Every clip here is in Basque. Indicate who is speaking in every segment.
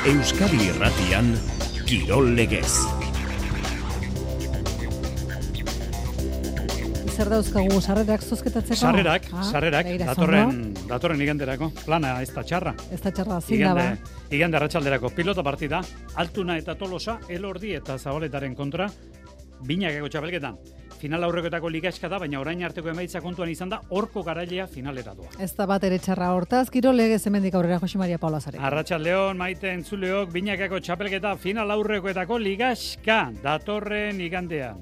Speaker 1: Euskadi Irratian, Kirol Legez.
Speaker 2: Zer dauzkagu, sarrerak zozketatzeko?
Speaker 3: Sarrerak, datorren iganderako. Plana ez da txarra.
Speaker 2: Ez da txarra, zindaba.
Speaker 3: Igande arratsalderako pilota partida, Altuna eta Tolosa, Elordi eta Zabaletaren kontra, binakako txapelketan. Final aurrekoetako ligaxka da, baina orain arteko emaitza kontuan izan da, horko garailea finalera doa.
Speaker 2: Ez da bat ere txarra hortaz, Kirol Legez hemendik aurrera Jose Maria Paula Zarek.
Speaker 3: Arratsaldeon, maite entzuleok, binakako txapelketa final aurrekoetako ligaxka datorren igandean.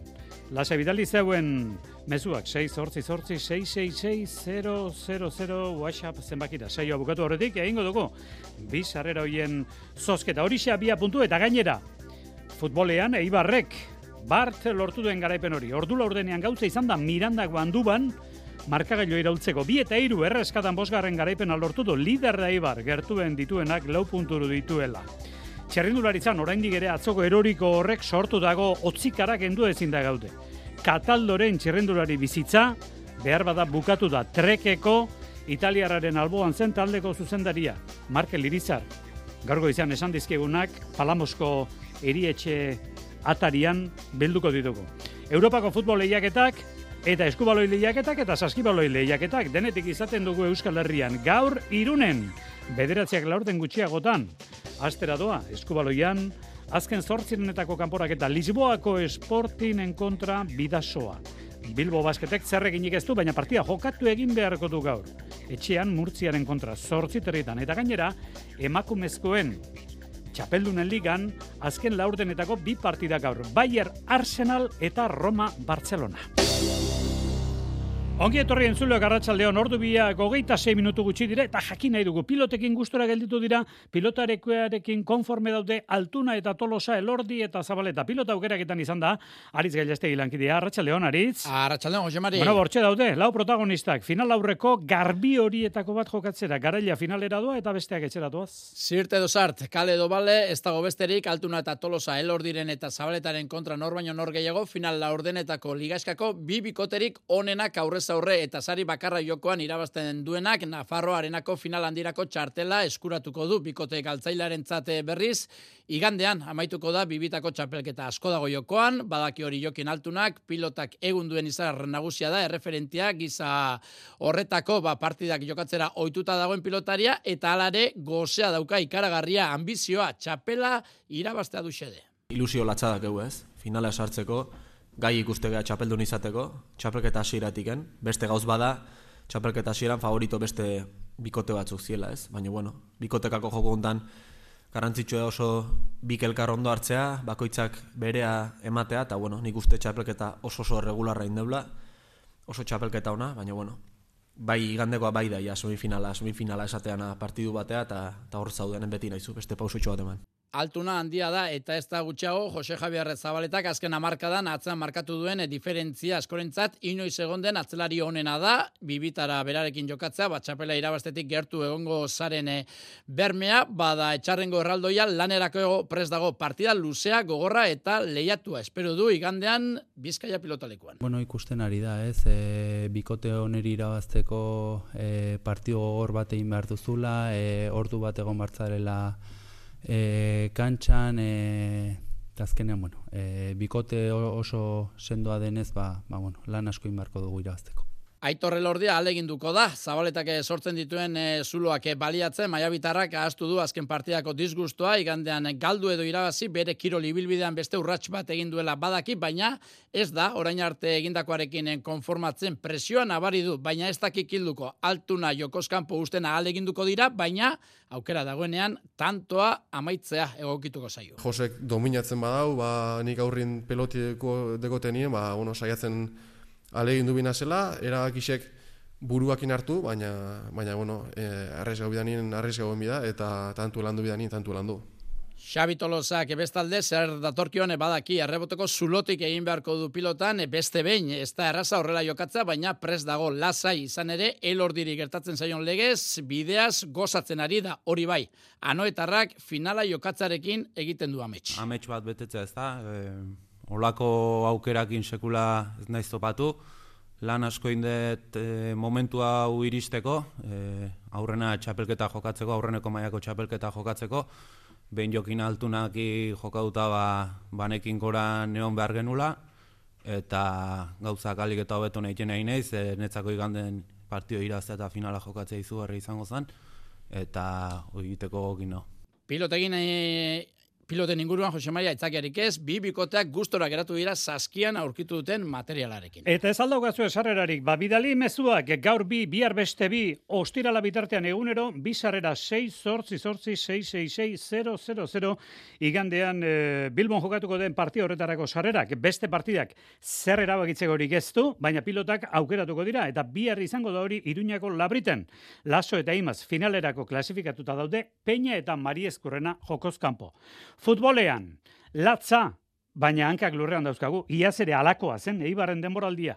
Speaker 3: Lasa bidali zeuen mezuak 688-666-000 WhatsApp zenbakira. Saioa bukatu horretik, egingo dugu. Bi sarrera hoien zozketa. Horixe abia puntu eta gainera. Futbolean Eibarrek Bart lortu duen garaipen hori. Ordu laurdenean gauza izan da Mirandako Handuban markagailu iraultzeko. 2 eta 3 erreskatan 5. garaipena lortu du. Lider da Eibar gertuen dituenak 4 punturu dituela. Txerrindularitzan oraindik ere atzoko eroriko horrek sortu dago otzikarak kendu ezin da gaude. Kataldoren txerrindulari bizitza behar bada bukatu da. Trekeko italiarraren alboan zen taldeko zuzendaria Markel Irizar. Gaurgo izan esan dizkigunak Palamosko erietxe atarian bilduko ditugu. Europako futbol lehiaketak eta eskubaloi lehiaketak eta saskibaloi lehiaketak denetik izaten dugu Euskal Herrian. Gaur Irunen 9 gutxiagotan astera doa eskubaloian azken 8 kanporaketa Lisboako Sportinen kontra Bidasoa. Bilbo Basketek zerreginik ez du, baina partida jokatu egin beharko du gaur. Etxean Murtziaren kontra 8 eta gainera emakumezkoen Txapeldunen ligan azken laurdenetako 2 partida gaur. Bayer Arsenal eta Roma Barcelona. Ongi etorri entzuleok arratsaldeon, ordu biak 26 minutu gutxi dire eta jakin nahi dugu. Pilotekin gustora gelditu dira, pilotarekin konforme daude Altuna eta Tolosa, Elordi eta Zabaleta. Pilota aukeraketan izan da, Aritz Gailastegi lankidea. Arratsaldeon, Aritz.
Speaker 4: Arratsaldeon, Jose Mari.
Speaker 3: Bueno, bortxe daude, 4 protagonistak. Final aurreko garbi horietako bat jokatzera. Garaila finalera doa eta besteak etxera doaz.
Speaker 4: Zirt edo zart, kale edo bale, ez dago besterik, Altuna eta Tolosa, Elordiren eta Zabaletaren kontra nor baino nor gehiago, final laurdenetako ligaskako 2 bikoterik onenak aurrez aurre eta sari bakarra jokoan irabazten duenak Nafarroa Arenako final handirako txartela eskuratuko du bikote galtzailarentzat berriz. Igandean amaituko da bibitako txapelketa asko dago jokoan, badaki hori jokin Altunak, pilotak egun duen izar nagusia da, erreferentia giza horretako partidak jokatzera ohituta dagoen pilotaria eta alare gozea dauka ikaragarria ambizioa txapela irabaztea du xede.
Speaker 5: Ilusio latzadak egu ez, finala sartzeko, gai ikustegea txapeldun izateko, txapelketa hasieratik, beste gauz bada, txapelketa hasieran favorito beste bikote batzuk ziela, ez? Baina, bueno, bikotekako joko hontan garrantzitsua oso bik elkar ondo hartzea, bakoitzak berea ematea, eta, bueno, nik uste txapelketa oso regularra indeula, oso txapelketa ona, baina, bueno, bai igandekoa bai da, ja, semifinala esateana partidu batea, eta hor zaudenen beti nahizu, beste pausotxo bat eman.
Speaker 4: Altuna handia da eta ez da gutxiago Jose Javier Zabaletak azken hamarkadan atzean markatu duen diferentzia askorentzat inoiz egon den atzelari honena da, bibitara berarekin jokatzea, txapela irabaztetik gertu egongo zaren bermea, bada etxarrengo erraldoia lanerako prest dago partida luzea, gogorra eta lehiatua. Espero du igandean Bizkaia pilotalekuan.
Speaker 6: Bueno, ikusten ari da, ez? Bikote honeri irabazteko partido gogor bat egin behar duzula, ordu bat egon bartzarela kantxan, azkenean, bueno, bikote oso sendoa denez, lan asko inbarko dugu irabazteko.
Speaker 4: Aitor Elordia ahaleginduko da, Zabaletak sortzen dituen zuloak baliatzen, maiabitarrak ahaztu du azken partidako disgustoa, igandean galdu edo irabazi, bere kirol ibilbidean beste urrats bat egin duela badaki, baina ez da, orain arte egindakoarekin konformatzen presioa nabari du, baina ez dakik hilduko, Altuna jokoskanpo usten ahaleginduko dira, baina aukera dagoenean tantoa amaitzea egokituko zaio.
Speaker 7: Josek dominatzen badau, nik aurrin pelotiko dekotenien, saiatzen alegin du bina zela, erabakisek buruakin hartu, baina bueno, arrezgau bida, eta tantu landu bidanin, tantu landu.
Speaker 4: Xabi Tolosak bestalde zer datorkion badaki erreboteko zulotik egin beharko du pilotan beste behin, ez da erraza horrela jokatzea, baina prest dago lasai izan ere Elordiri gertatzen zaion legez, bideaz gozatzen ari da hori bai. Anoetarrak finala jokatzarekin egiten du amets.
Speaker 6: Amets bat betetzea ez da, olako aukerakin sekula ez naiz topatu, lan asko indet momentua hau iristeko, aurrena txapelketa jokatzeko, aurreneko mailako txapelketa jokatzeko, behin jokin altunaki jokauta banekin gora neon behar genula, eta gauzak alik eta hobeto nahiten nahi naiz, netzako iganden partio iraztea eta finala jokatzea izugarri izango zen, eta egiteko gokin no. Piloten inguruan, Jose Maria, aitzakiarik ez, bi bikoteak gustora geratu dira saskian aurkitu duten materialarekin.
Speaker 3: Eta ez aldaukazu esarrerarik, bidali mezuak gaur bi, bihar beste bi, ostirala bitartean egunero, bi sarrera 6-8-6-6-6-6-0-0-0, igandean Bilbon jokatuko den partida horretarako sarrerak, beste partidak zer erabakitzekorik ez du, baina pilotak aukeratuko dira, eta bihar izango da hori Iruñako Labriten. Laso eta Imaz finalerako klasifikatuta daude, Peña eta Mariezkurrena jokoz kanpo. Futbolean, latza, baina hankak lurrean dauzkagu, iaz ere alakoa zen, Eibarren denboraldia.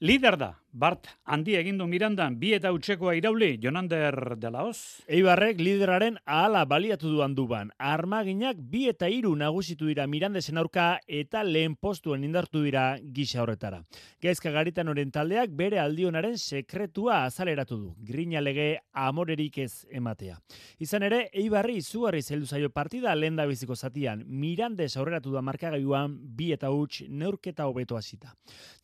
Speaker 3: Lider da, Bart handi egindu Mirandan, bi eta utxekoa irauli, Jonander de la Hoz.
Speaker 8: Eibarrek lideraren ahala baliatu duan duban. Armaginak 2 eta 3 nagusitu dira Mirandesen aurka eta lehen postuen indartu dira gisa horretara. Gaizka Garitan oren taldeak bere aldionaren sekretua azaleratu du. Grina lege amorerik ez ematea. Izan ere, Eibarri izugarri zeldu zaio partida lehen da biziko zatian. Mirandes aurreratu da markagailuan 2 eta huts neurketa hobeto hasita.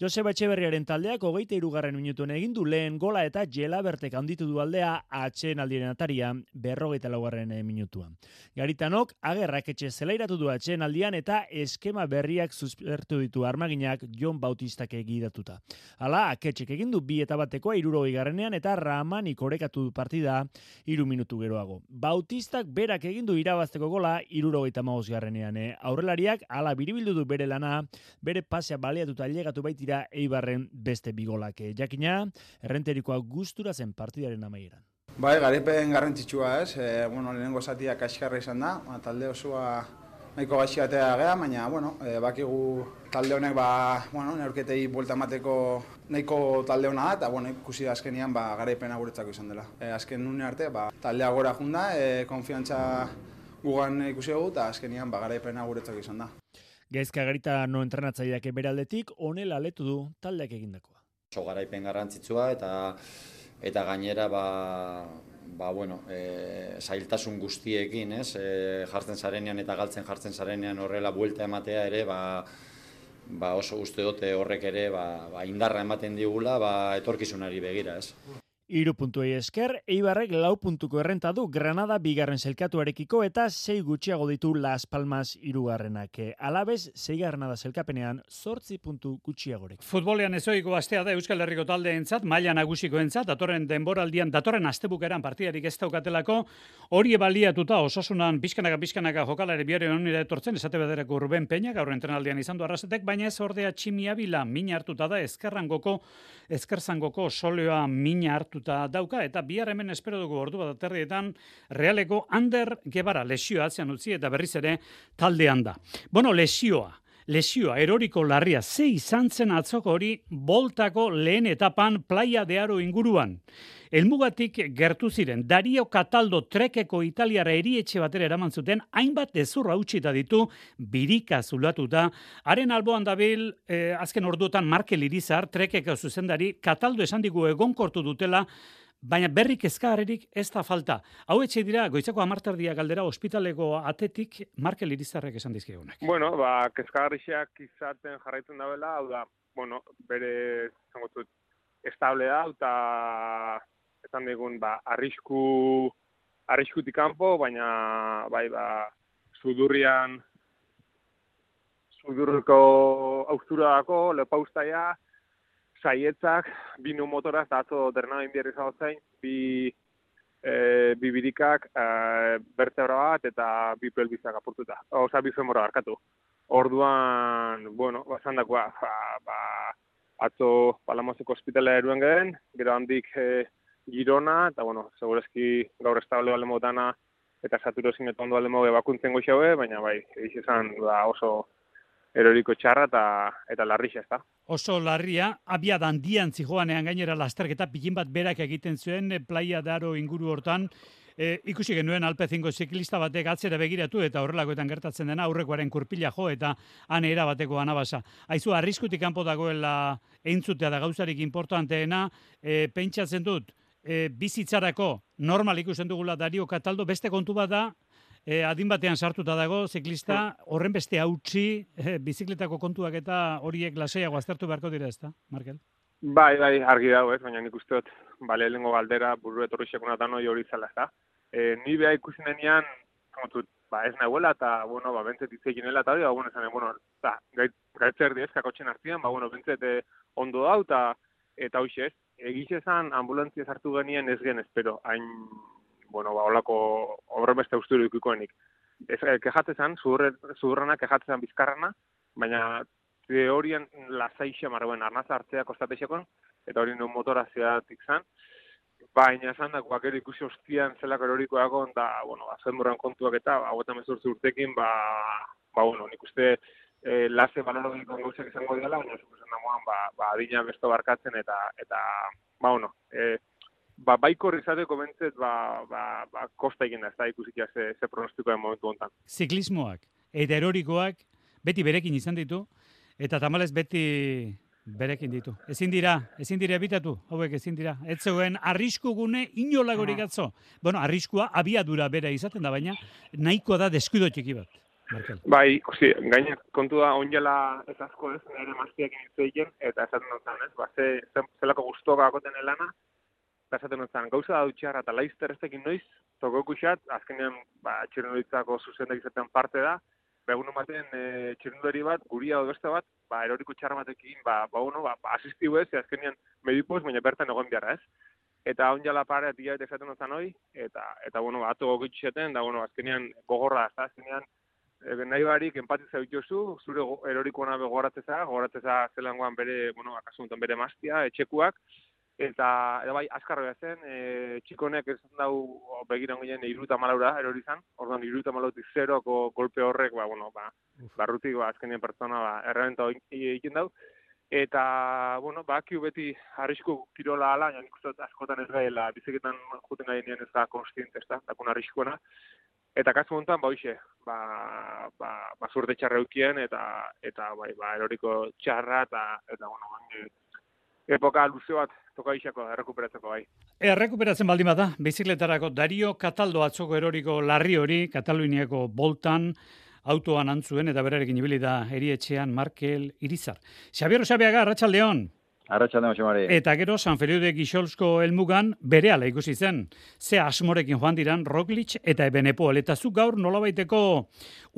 Speaker 8: Joseba Etxeberriaren taldeak 23. minutuen egin du lehen gola eta Jelabertek handitu du aldea atxeen aldiren ataria 54. minutuan. Garitanok agerrak etxe zelairatu du atxeen aldian eta eskema berriak suspertu ditu Armaginak Jon Bautistak egidatuta. Hala, aketxek egin du 2 eta batekoa 60. eta Ramanik orekatu du partida 3 minutu geroago. Bautistak berak egin du irabazteko gola 75. Aurrelariak hala biribildu du bere lana, bere pasea baliatuta ailegatu baitira Eibarren beste bigolak. Jakina, errenterikoa gustura zen partidaren amaieran.
Speaker 9: Bai, garaipen garrantzitsua ez, lehenengo zatia kaskarra izan da, talde osoa nahiko gaixatea gea, baina, bakigu talde honek, neurketei buelta emateko nahiko talde hona da, eta, ikusi da azkenian, garaipena guretzako izan dela. Azken nune arte, taldea gora junda, konfiantza gugan ikusi dugu, eta azkenian, garaipena guretzako izan da.
Speaker 8: Gaizka Garita no entrenatzaileak bere aldetik, honela aletu du taldeak egindakoa.
Speaker 10: Garaipen garrantzitsua eta gainera zailtasun guztiekin, jartzen zarenean eta galtzen jartzen zarenean horrela buelta ematea ere, oso uste dute horrek ere indarra ematen digula etorkizunari begira, ez.
Speaker 8: 3 puntuei esker, Eibarrek 4 puntuko errenta du Granada 2. zelkatuarekiko eta 6 gutxiago ditu Las Palmas 3. Alabez 6. da zelkapenean 8 puntu gutxiagorek.
Speaker 3: Futbolean ezoiko astea da Euskal Herriko taldeentzat, maila nagusikoentzat, datorren denboraldian, datorren astebukeran partidarik ez daukatelako, hori baliatuta Osasunan pixkanaka jokalari biare honira etortzen, esate bederako Ruben Peña, gaur entrenaldian izan du Arrasatek, baina ez ordea Tximi Abila mina hartuta da eskerzangoko soleoa mina hartuta dauka, eta bihar hemen espero dugu ordu bat aterrietan Realeko Ander Gebara lesioa atzean utzi eta berriz ere taldean da. Lesioa, eroriko larria, ze izan zen atzoko hori boltako lehen etapan Playa de Aro inguruan. Helmugatik gertu ziren, Dario Cataldo trekeko italiara erietxe batera eraman zuten, hainbat ezurra utxita ditu, birika zulatuta, haren alboan dabil, azken orduotan Markel Irizar, trekeko zuzendari, Cataldo esan digu egonkortu dutela, baina berrik kezkagarririk ez da falta. Hau etxe dira, goizako 10:00 galdera ospitaleko atetik Markel Irizarrek esan dizkigunak.
Speaker 11: Kezkagarriak izaten jarraitzen dabela, hau da, bere, zango zut, estable da, eta esan digun, arriskutik kanpo, baina, sudurriko austura dako, lepaustaia, saietzak, 2 motoraz, eta atzo dernain bierri zagozain, bi birikak, bertebra bat, eta 2 pelbizak apurtuta. Bi femora barkatu. Orduan, esan dakoa, atzo Palamoseko ospitalea eruen gehen, gero handik Girona, eta, segurezki gaur estable balemo dana, eta saturozin eta ondo balemo bakuntzen goxaue, baina izan oso eroriko txarra eta larrixa ez da.
Speaker 3: Oso larria, abiada handian zijoanean gainera lasterketa pilin bat berak egiten zuen Playa de Aro inguru hortan, ikusi genuen alpezingo ziklista batek atzera begiratu eta horrelakoetan gertatzen dena aurrekoaren kurpila jo eta han era bateko anabasa. Aizu, arriskutik kanpo dagoela entzutea da gauzarik importanteena, pentsatzen dut, bizitzarako normal ikusten dugula Dario Cataldo, beste kontu bat da, adin batean sartuta dago, ziklista, horren beste hautsi, bizikletako kontuak eta horiek lasaiago aztertu beharko dira, ezta, Markel?
Speaker 11: Bai, argi dago, ez, baina nik uste dut, lehenengo galdera, buru etorri sekunatan hori zela, ez da. Ni beha ikusi nenean, ez nahuela, eta, bentzet itzekinela, eta hori, esan, gaitzer diez, kakotxen artian, bentzet ondo dau, eta hoxe ez, egiz esan ambulantzia sartu genien ez gen espero, hain, holako horren beste usturu ikikoenik. Kejatzezan, zudurrana kejatzezan bizkarrana, baina teorian lasaixa marroen arnaza hartzea kostatexekon, eta hori non motora zeatik zan, baina esan da, guakero ikusi hostian zelako erorikoakon, eta, zenborran kontuak eta, 18 urtekin, nik uste lase balorogiko gauzak izango dela, baina zukusen dagoan, adina besto barkatzen, eta baikor izateko bentzet, kosta egin da, ez da ikusikia ze pronostikoen momentu hontan.
Speaker 3: Ziklismoak eta erorikoak beti berekin izan ditu, eta tamalez beti berekin ditu. Ezin dira ebitatu, hauek ezin dira. Ez zegoen arriskugune inolagorik atzo. Arriskua abiadura bera izaten da, baina nahiko da deskuido txiki bat. Markel.
Speaker 11: Bai, gaina kontu da onjela ez asko ez, nire maztiak inizteiken, eta esaten dut zelako guztoka akoten elana, eta esaten dut gauza da dutxarra eta laizter ez tekin noiz, toko ikusat, azkenean txirrenduritzako zuzendak izaten parte da, egun ematen txirrenduri bat, guria edo beste bat, eroriko txarra batekin, asistibu ez, azkenean medipoz, baina bertan egon biharra ez. Eta onjala pare atia eta esaten dut noi, eta ato gogitxeten, da azkenean gogorra, azkenean nahi barik empatitza dituzu, zure erorikoa gogoratzeza zelangoan bere, akasuntan bere maztia, etxekuak, eta bai, azkarroa zen, txikonek ez dau begiran ginen 70 erorizan, orduan 70 zeroko golpe horrek, barrutik, azkenien pertsona, errebenta egiten dau, eta, bakiu beti arrisku kirola ala, nik uste askotan ez gaela, bizeketan juten gainean ez da konstiente, ez da, dakun arriskuena. Eta kasu honetan, hoxe, zurte txarra eukien, eta eroriko txarra, eta epoka luze bat toka isako errekuperatzeko bai.
Speaker 3: Errekuperatzen baldin bada, bizikletarako Dario Cataldo atzoko eroriko larri hori, Kataluniako boltan, autoan antzuen, eta berarekin ibili da erietxean Markel Irizar. Xabier Osabeaga, Arratsaldeon.
Speaker 12: Arratsaldeon, Xamari.
Speaker 3: Eta gero San Feliu de Guixolsko helmugan berehala ikusi zen. Ze asmorekin joan diran Roglic eta Evenepoel. Eta zu gaur nolabaiteko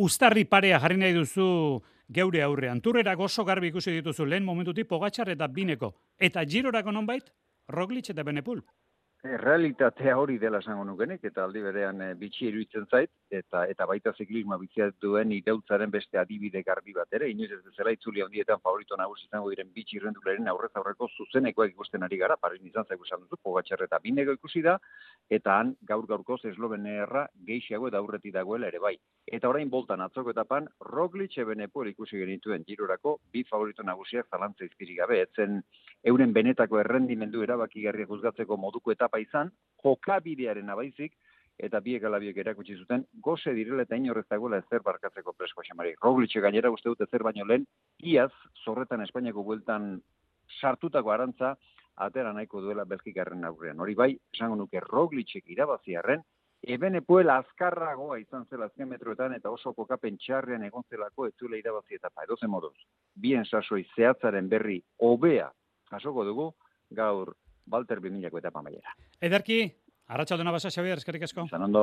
Speaker 3: uztarri parea jarri nahi duzu geure aurrean. Turrerako oso garbi ikusi dituzu lehen momentutik Pogačar eta Bineko. Eta Girorako nonbait Roglic eta Evenepoel.
Speaker 12: Realitatea hori dela esango nukenik, eta aldi berean bitxi iruditzen zait, eta baita ziklisma bitziat duen irautzaren beste adibide garbi bat ere, inoiz ez bezala itzuli handietan favorito nagusi izango diren bitxi irrendularen aurrez aurreko zuzenekoak ikusten ari gara, Paris izan zaigu esan duzu, Pogačar eta Bineko ikusi da, eta han gaur-gaurkoz eslovenerra gehiago eta aurreti dagoela ere bai. Eta orain boltan atzoko etapan, Roglic Evenepoel ikusi genituen Girorako bi favorito nagusiak zalantza izpirik gabe, etzen euren benetako errendimendu erabakigarriak juzgatzeko moduko etapa izan, jokabidearen abaizik, eta biek alabiek erakutsi zuten, goze direla eta inorrez dagoela ezer barkatzeko presko Xamari. Roglic gainera uste dut ezer baino lehen, iaz, zorretan Espainiako bueltan sartutako arantza, atera nahiko duela Belgikarren aurrean. Hori bai, esango nuke Roglicek irabaziarren, Evenepoel azkarragoa izan zela azken metroetan eta oso kokapen txarrean egon zelako ez zuela irabazi etapa. Edozen moduz, bien sasoi zehatzaren berri hobea jasoko dugu gaur Balter 2000ko etapa maiera.
Speaker 3: Ederki, arratsaldona basa Xabier, eskerrik asko.
Speaker 12: Izan ondo.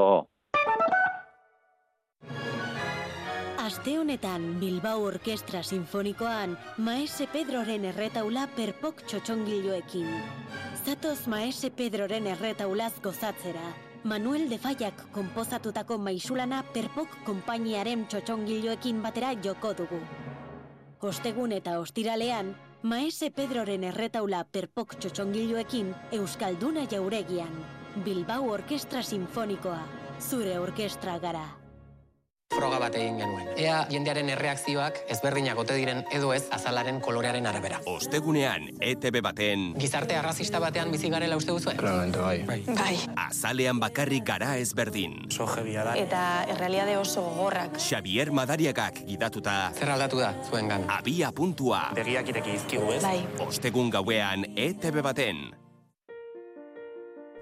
Speaker 13: Aste honetan Bilbao Orkestra Sinfonikoan Maese Pedroren erretaula perpok txotxongiloekin. Zatoz Maese Pedroren erretaulaz gozatzera. Manuel de Fallak konposatutako maisulana perpok konpainiaren txotxongiloekin batera joko dugu. Ostegun eta ostiralean, Maese Pedroren erretaula perpok txotxongiloekin Euskalduna Jauregian. Bilbao Orkestra Sinfonikoa. Zure orkestra gara.
Speaker 14: Froga bat egin genuen. Ea jendearen erreakzioak ezberdinak ote diren edo ez azalaren kolorearen arabera.
Speaker 1: Ostegunean, ETB baten...
Speaker 14: Gizarte arrazista batean bizi garela uste duzue?
Speaker 15: Claramente bai.
Speaker 1: Azalean bakarrik gara ezberdin.
Speaker 15: Oso jebia da.
Speaker 16: Eta errealiade oso gogorrak.
Speaker 1: Xabier Madariagak gidatuta...
Speaker 14: Zer aldatu da, zuengan?
Speaker 1: Abia puntua.
Speaker 15: Begiak ireki izkigu, ez?
Speaker 16: Bai.
Speaker 1: Ostegun gauean, ETB baten...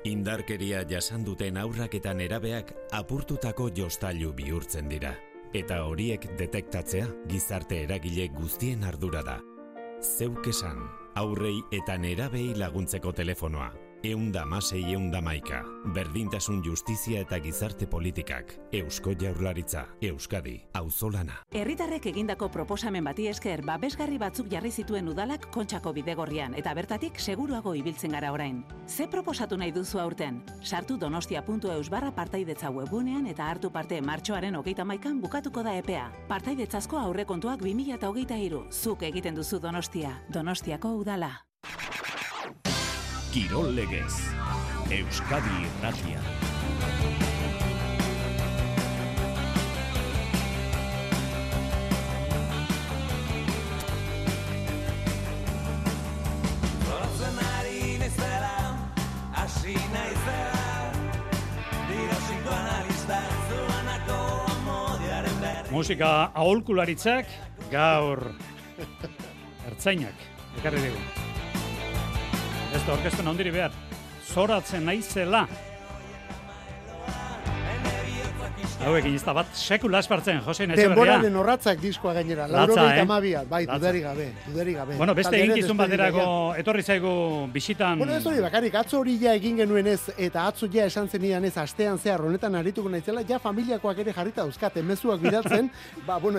Speaker 17: Indarkeria jasan duten haurrak eta nerabeak apurtutako jostailu bihurtzen dira. Eta horiek detektatzea gizarte eragile guztien ardura da. Zeuk esan, aurrei eta nerabei laguntzeko telefonoa. 116-111. Berdintasun justizia eta gizarte politikak. Eusko Jaurlaritza. Euskadi. Auzolana.
Speaker 18: Herritarrek egindako proposamen bati esker babesgarri batzuk jarri zituen udalak Kontxako bidegorrian eta bertatik seguruago ibiltzen gara orain. Ze proposatu nahi duzu aurten? Sartu donostia.eus/partaidetza webgunean eta hartu parte martxoaren 31an bukatuko da epea. Partaidetzazko aurrekontuak 2023. Zuk egiten duzu Donostia. Donostiako udala.
Speaker 8: Kirol legez. Euskadi Irratia.
Speaker 3: Musika aholkularitzak gaur ertzainak ekarri dugu. Ez da orkesten ondiri behar, zoratzen naizela. Hauekin ez da bat sekula espartzen, Josein Etxeberria.
Speaker 19: Denboraren horratzak diskoa gainera, 82, bai, dudarik gabe.
Speaker 3: Bueno, beste eginkizun baterako etorri zaigu bisitan...
Speaker 19: Bueno, ez hori bakarik, atzo hori ja egin genuen ez, eta atzo ja esan zenidan ez, astean zehar honetan arituko naizela, ja familiakoak ere jarrita dauzkate, mezuak bidaltzen,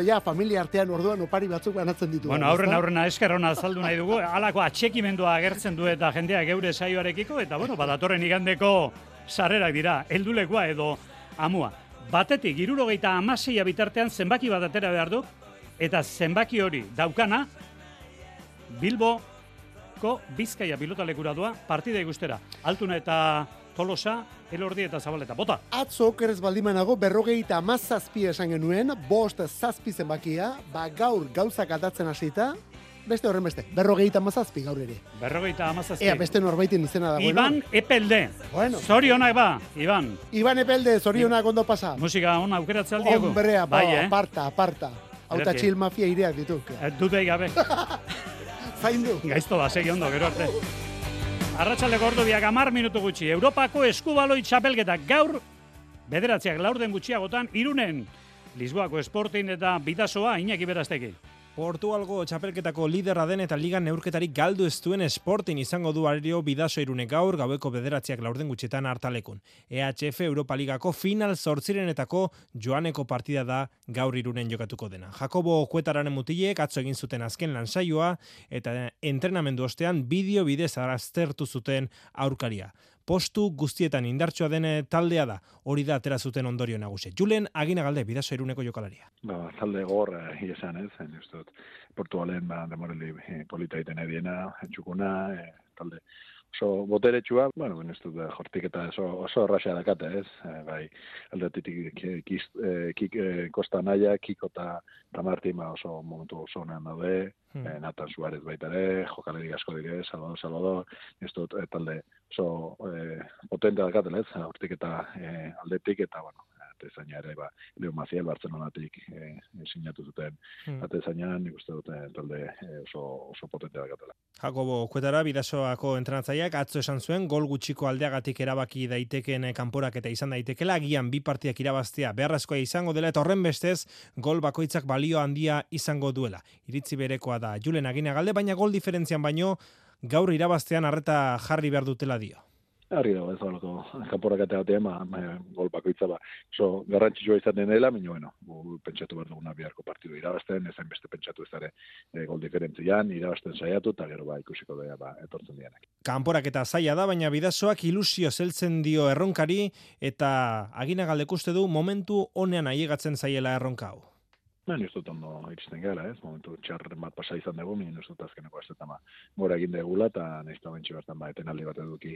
Speaker 19: ja familia artean orduan opari batzuk banatzen ditu.
Speaker 3: Bueno, aurrena eskerrona azaldu nahi dugu, halako atxekimendua agertzen du eta jendea geure saioarekiko, eta bueno, datorren igandeko sarrerak dira, heldulekoa edo amua. Batetik, 76 bitartean zenbaki bat atera behar du, eta zenbaki hori daukana Bilboko Bizkaia pilotalekura doa partida ikustera. Altuna eta Tolosa, Elordi eta Zabaleta. Bota! Atzo
Speaker 19: okerez baldimanago 57 esan genuen, 5-7 zenbakia, gaur gauzak aldatzen hasita, beste horren beste, 57 gaur ere.
Speaker 3: 57.
Speaker 19: Ea, beste norbaitin izena da.
Speaker 3: Iban Epelde.
Speaker 19: Bueno.
Speaker 3: Zorionak ba, Iban.
Speaker 19: Iban Epelde, zorionak ondo pasa.
Speaker 3: Musika ona aukeratzea aldiago.
Speaker 19: Hombrea, aparta. Auta txil mafia ireak dituk.
Speaker 3: Dutei gabe.
Speaker 19: Zaindu.
Speaker 3: Gaizto da, segi ondo, gero arte. Arratsaldeko ordubiak 10 minutu gutxi. Europako eskubaloi txapelketa gaur, bederatziak laurden gutxiagotan, Irunen. Lisboako Sporting eta Bidasoa Iñaki Berastegi.
Speaker 20: Portugalgo txapelketako liderra den eta ligan neurketarik galdu ez duen Sporting izango du Arerio Bidaso Irunek gaur, gaueko bederatziak laurden gutxetan hartalekun. EHF Europa Ligako final 8renetako joaneko partida da gaur Irunen jokatuko dena. Jakobo Kuetararen mutilek atzo egin zuten azken lansaioa eta entrenamendu ostean bideo bidez aztertu zuten aurkaria. Postu guztietan indartsua den taldea da, hori da atera zuten ondorio nagusi. Julen Aginagalde, Bidaso Iruneko jokalaria.
Speaker 21: Talde gor esan ez, Portugalen demoreli polita egiten ediena, txukuna, talde oso boteretsua, ez dut jortik eta oso erraxa dakate ez, bai, aldetik Kosta Naia, Kiko eta Martin oso momentu oso honean daude, Nathan Suarez baita ere, jokaleri asko dire, Salvador, ez dut talde oso potente dakatela ez, hortik eta aldetik eta, atezaina ere, Leo Maciel Bartzelonatik sinatu zuten atezainan, nik uste dute talde oso potente dakatela.
Speaker 20: Jakobo Kuetara, Bidasoako entrenatzaileak atzo esan zuen, gol gutxiko aldeagatik erabaki daiteken kanporak eta izan daitekela, agian 2 partidak irabaztea beharrezkoa izango dela, eta horren bestez, gol bakoitzak balio handia izango duela. Iritzi berekoa da Julen Aginagalde, baina gol diferentzian baino, gaur irabaztean arreta jarri behar dutela dio.
Speaker 21: Harri dago, ez da, kanporak eta batean, gol bakoitza oso garrantzitsua izaten dela, baina, pentsatu behar duguna biharko partidu irabazten, ezain beste pentsatu ez dara gol diferentzian, irabazten saiatu, eta gero ikusiko da etortzen dianak.
Speaker 20: Kanporak eta zaila da, baina Bidasoak ilusio zeltzen dio erronkari, eta Aginagaldek uste du momentu honean ailegatzen zaiela erronka hau.
Speaker 21: Ni ez dut ondo iristen gara, ez? Momentu txarren bat pasa izan dugu, ni ez dut azkeneko ez dut gora egin degula, eta nahiz da bentsi bertan etenaldi bat eduki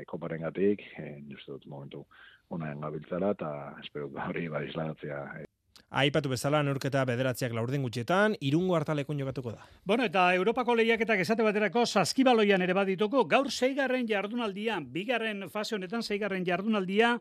Speaker 21: koparen gatik, ni ez dut momentu honean gabiltzara, eta espero hori isladatzea.
Speaker 20: Aipatu bezala, neurketa bederatziak laurden gutxetan, Irungo hartalekun jokatuko da.
Speaker 3: Bueno, eta Europako lehiaketak esate baterako saskibaloian ere badituko, gaur 6. jardunaldia, 2. fase honetan 6. jardunaldia,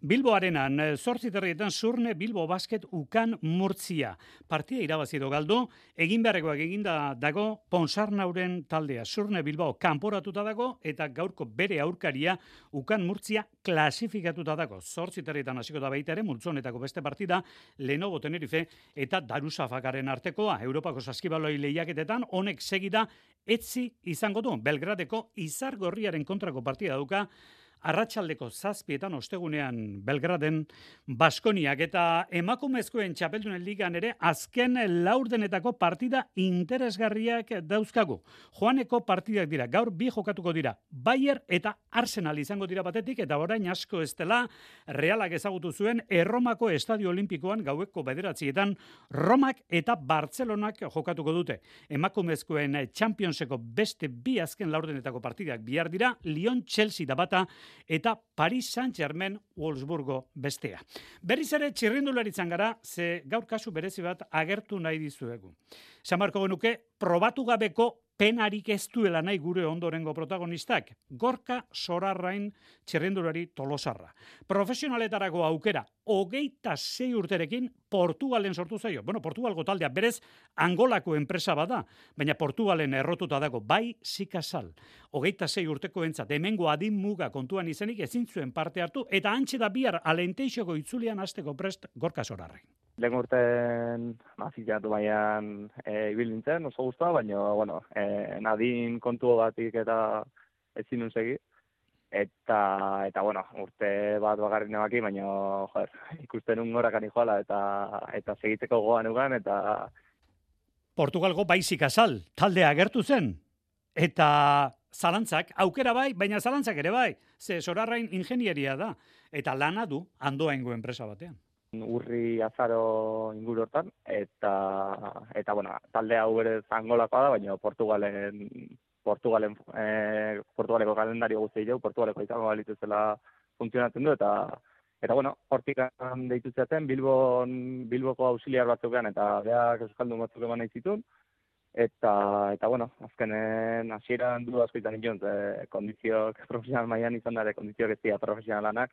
Speaker 3: Bilbo Arenan, 8:30 Surne Bilbo Basket Ukan Murtzia. Partia irabazi edo galdu, egin beharrekoak eginda dago Ponsarnauren taldea. Surne Bilbao kanporatuta dago eta gaurko bere aurkaria Ukan Murtzia klasifikatuta dago. 8:30 hasiko da baita ere multzonetako beste partida Lenovo Tenerife eta Darusafakaren artekoa. Europako saskibaloi lehiaketetan honek segida etzi izango du. Belgradeko Izargorriaren kontrako partida dauka arratsaldeko 7:00 ostegunean Belgraden Baskoniak eta emakumezkoen txapeldunen ligan ere azken laurdenetako partida interesgarriak dauzkagu. Joaneko partidak dira, gaur bi jokatuko dira. Bayer eta Arsenal izango dira batetik eta orain asko ez dela Realak ezagutu zuen Erromako Estadio Olimpikoan gaueko 9:00 Romak eta Bartzelonak jokatuko dute. Emakumezkoen Championseko beste bi azken laurdenetako partidak bihar dira, Lyon Chelsea da bata eta Paris Saint-Germain Wolfsburgo bestea. Berriz ere txirrindularitzan gara, ze gaur kasu berezi bat agertu nahi dizuegu. Samarko genuke, probatu gabeko penarik ez duela nahi gure ondorengo protagonistak, Gorka Sorarrain txirrindulari Tolosarra. Profesionaletarako aukera, 26 urterekin Portugalen sortu zaio. Bueno, Portugalgo taldea berez Angolako enpresa bada, baina Portugalen errotuta dago, bai Sikasal. 26 urteko entzat, hemengo adin muga kontuan izenik ezin zuen parte hartu, eta antxe da bihar Alenteixoko itzulian hasteko prest Gorka Sorarrain.
Speaker 2: Lehen urten azilatu baian ibil nintzen, oso guztua, baina, bueno, nadin kontu batik eta ezin nun segi. Eta bueno, urte bat bagarri nebaki, baina, joder, ikusten un gorakan joala eta segitzeko goan ugan, eta...
Speaker 3: Portugalgo baizik azal, taldea agertu zen, eta zalantzak, aukera bai, baina zalantzak ere bai, ze Sorarrain ingenieria da, eta lana du Andoaingo enpresa batean.
Speaker 2: Urri azaro inguru hortan, eta bueno, talde hau berez Angolakoa da, baina Portugaleko kalendario guzti jau, Portugaleko izango balituzela funtzionatzen du, eta bueno, hortik deitu zaten, Bilboko auxiliar batzukean, eta beak euskaldun batzuk eman nahi zituen, eta bueno, azkenen hasieran du asko izan nion, kondizioak profesional mailan izan dara, kondizioak ez dira profesionalanak,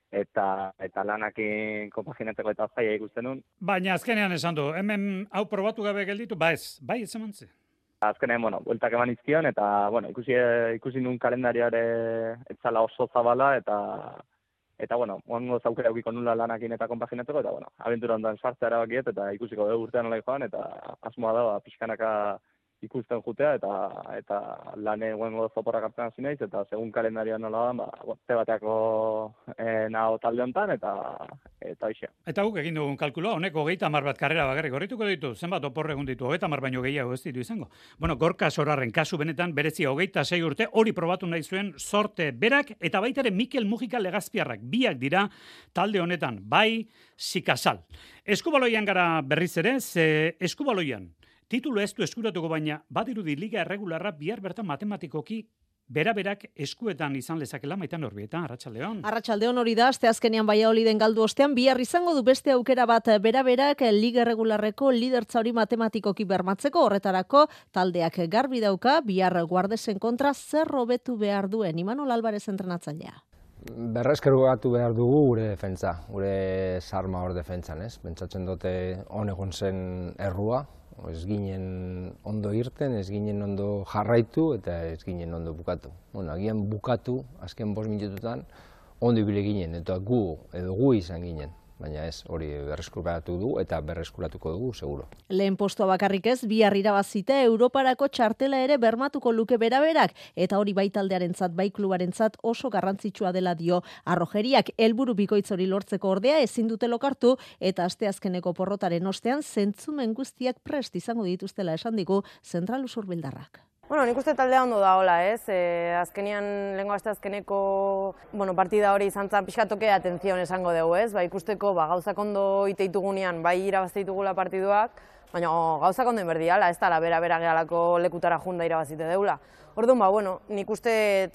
Speaker 2: eta lanakin konpaginatzeko eta zaila ikusten nun.
Speaker 3: Baina azkenean esan du, hemen hau probatu gabe gelditu, bai ez emantze.
Speaker 2: Azkenean, bueno, bueltak eman izkion, eta, bueno, ikusi nun kalendarioare etzala oso zabala, eta bueno, oango zaukera eukiko nula lanakin eta konpaginatzeko, eta, bueno, abentura ondan sartzea erabakiet, eta ikusiko dugu urtean nola joan, eta asmoa da, pixkanaka ikusten jutea, eta lane guengo zoporrak hartzen hasi naiz, eta segun kalendarioa nola da, te bateako naho talde honetan, eta hoxe.
Speaker 3: Eta guk egin dugun kalkuloa, honek 30 bat karrera bakarrik horrituko ditu, zenbat opor egun ditu, 30 baino gehiago ez ditu izango. Bueno, Gorka Sorarren kasu benetan berezia 26 urte, hori probatu nahi zuen sorte berak, eta baita ere Mikel Mujika Legazpiarrak, biak dira talde honetan, bai Sikasal. Eskubaloian gara berriz ere, ze eskubaloian, titulu ez du eskuratuko baina, badirudi liga erregularra bihar bertan matematikoki beraberak eskuetan izan lezakela Maitan Orbieta, Arratsaldeon.
Speaker 22: Arratsaldeon hori da, asteazkenean Valladoliden galdu ostean, bihar izango du beste aukera bat beraberak liga erregularreko lidertza hori matematikoki bermatzeko, horretarako taldeak garbi dauka, bihar Guardesen kontra zer hobetu behar duen, Imanol Alvarez entrenatzailea.
Speaker 23: Berreskerugatu behar dugu gure defentsa, gure sarma hor defentsan, ez? Pentsatzen dute egon zen errua, ez ginen ondo irten, ez ginen ondo jarraitu eta ez ginen ondo bukatu. Bueno, agian bukatu, azken 5 minututan, ondo ibile ginen, eta gu izan ginen. Baina ez, hori berreskuratu du eta berreskuratuko dugu, seguro.
Speaker 22: Lehen postua bakarrik ez, bihar irabazita Europarako txartela ere bermatuko luke beraberak, eta hori bai taldearentzat, bai klubarentzat oso garrantzitsua dela dio Arrojeriak. Helburu bikoitz hori lortzeko ordea ezin dute lokartu, eta asteazkeneko porrotaren ostean zentzumen guztiak prest izango dituztela esan digu Zentral Usurbildarrak.
Speaker 24: Bueno, nik uste taldea ondo da hola, ez? Azkenian, lehenko asteazkeneko partida hori izan zan pixkatoke atenzion esango dugu, ez? Ba, ikusteko gauza ondo iteitugunean, bai irabazte ditugula partiduak, Baina gauzak ondo inberdiala, ez da bera gehalako lekutara junda irabazite deula. Orduan, bueno, nik uste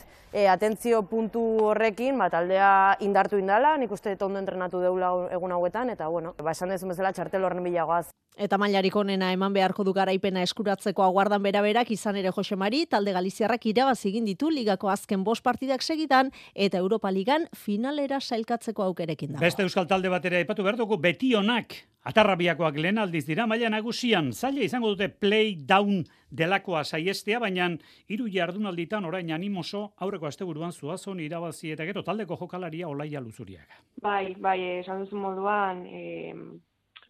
Speaker 24: atentzio puntu horrekin, taldea indartu indala, nik uste ondo entrenatu deula egun hauetan, eta, bueno, esan dezun bezala txartel horren bilagoaz.
Speaker 22: Eta mailarik onena eman beharko du garaipena eskuratzeko aguardan beraberak izan ere Jose Mari, talde galiziarrak irabazi egin ditu ligako azken 5 partidak segidan, eta Europa Ligan finalera sailkatzeko aukerekin dago.
Speaker 3: Beste euskal talde batera aipatu behar dugu, Betionak, Atarrabiakoak lehen aldiz dira, maila nagusian, zaila izango dute play down delakoa saiestea, baina 3 jardunalditan orain animoso aurreko asteburuan Zuazon irabazi eta gero taldeko jokalaria Olaia Luzuriaga.
Speaker 4: Bai, esan duzu moduan,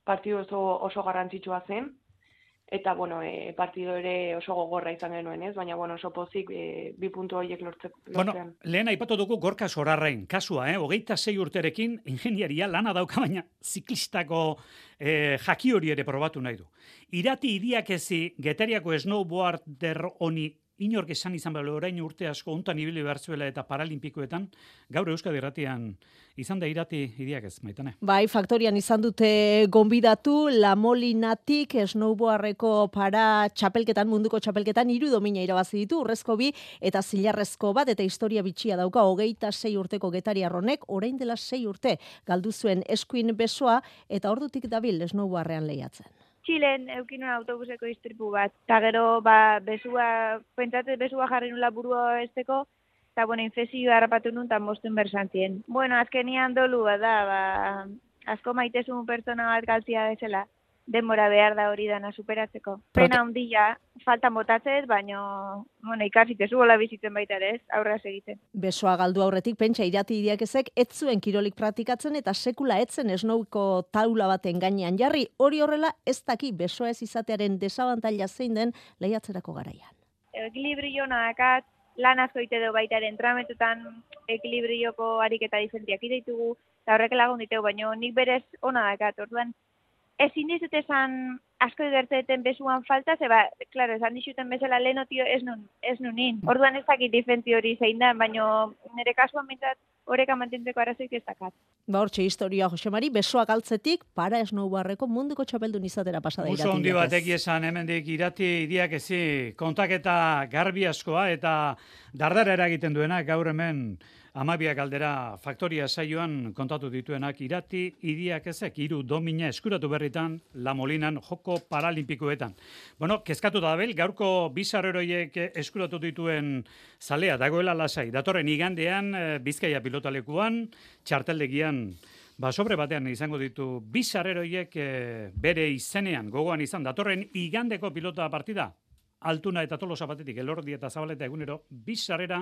Speaker 4: partidu oso garrantzitsua zen, eta, partido ere oso gogorra izan genuen, ez? Baina, oso pozik 2 puntu horiek lortzean.
Speaker 3: Lehen aipatu dugu Gorka Sorarrain kasua, 26 urterekin ingeniaria lana dauka, baina ziklistako jaki hori ere probatu nahi du. Irati Idiakezi Getariako snowboarder honi inork esan izan behar orain urte asko hontan ibili behar zuela eta paralimpikoetan, gaur Euskadi Irratian izan da Irati Idiakez, Maitane.
Speaker 22: Bai, faktorian izan dute gonbidatu La Molinatik snowboardeko txapelketan, munduko txapelketan 3 domina irabazi ditu, urrezko 2 eta zilarrezko bat, eta historia bitxia dauka 26 urteko getariarronek, orain dela 6 urte galdu zuen eskuin besoa, eta ordutik dabil snowboardean lehiatzen.
Speaker 5: Txilen eukinun autobuseko istripu bat, eta gero pentsatzen besua jarri nula burua esteko, eta infezioa harrapatu nun, eta mostuen bersantien. Azkenian dolu da, asko maitezun pertsona bat galtzia bezala, denbora behar da hori dana superatzeko. Pena handia, faltan botatzez, baina ikasitezu gola bizitzen baita ere ez, aurra egiten.
Speaker 22: Besoa galdu aurretik, pentsa Irati Idiakezek ez zuen kirolik praktikatzen eta sekula etzen snowko taula baten gainean jarri, hori horrela ez daki besoa ez izatearen desabantaila zein den lehiatzerako garaian.
Speaker 5: Ekilibrio nakat, lan asko ite du baita ere entramentutan ekilibrioko ariketa diferentiak ideitugu, eta horrek lagun ditegu, baina nik berez ona dakat, orduan ezin dizut esan asko gertzeten besuan falta, klaro, esan dizuten bezala lehenotio ez nunin. Orduan ez dakit difentzi hori zein da, baina nire kasuan mintzat horreka mantentzeko arazoik ez dakat.
Speaker 22: Hortxe historia, Jose Mari, besoa galtzetik para snowboardeko munduko txapeldun izatera pasada Irati Idiakez.
Speaker 3: Oso hondi batek esan hemendik Irati Idiakezi kontaketa garbi askoa eta dardara eragiten duena gaur hemen 12 galdera faktoria saioan kontatu dituenak Irati Idiakezek 3 domina eskuratu berritan La Molinan joko paralimpikoetan. Kezkatuta dabel, gaurko 2 sarreroiek eskuratu dituen zalea dagoela lasai. Datorren igandean Bizkaia pilotalekuan, txarteldegian sobre batean izango ditu 2 sarreroiek bere izenean gogoan izan datorren igandeko pilota partida. Altuna eta Tolosa batetik, Elordi eta Zabaleta egunero 2 sarrera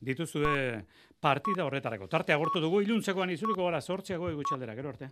Speaker 3: dituzue partida horretarako. Tarte agortu dugu, iluntzekoan izuliko gara 8 gutxaldera, gero arte.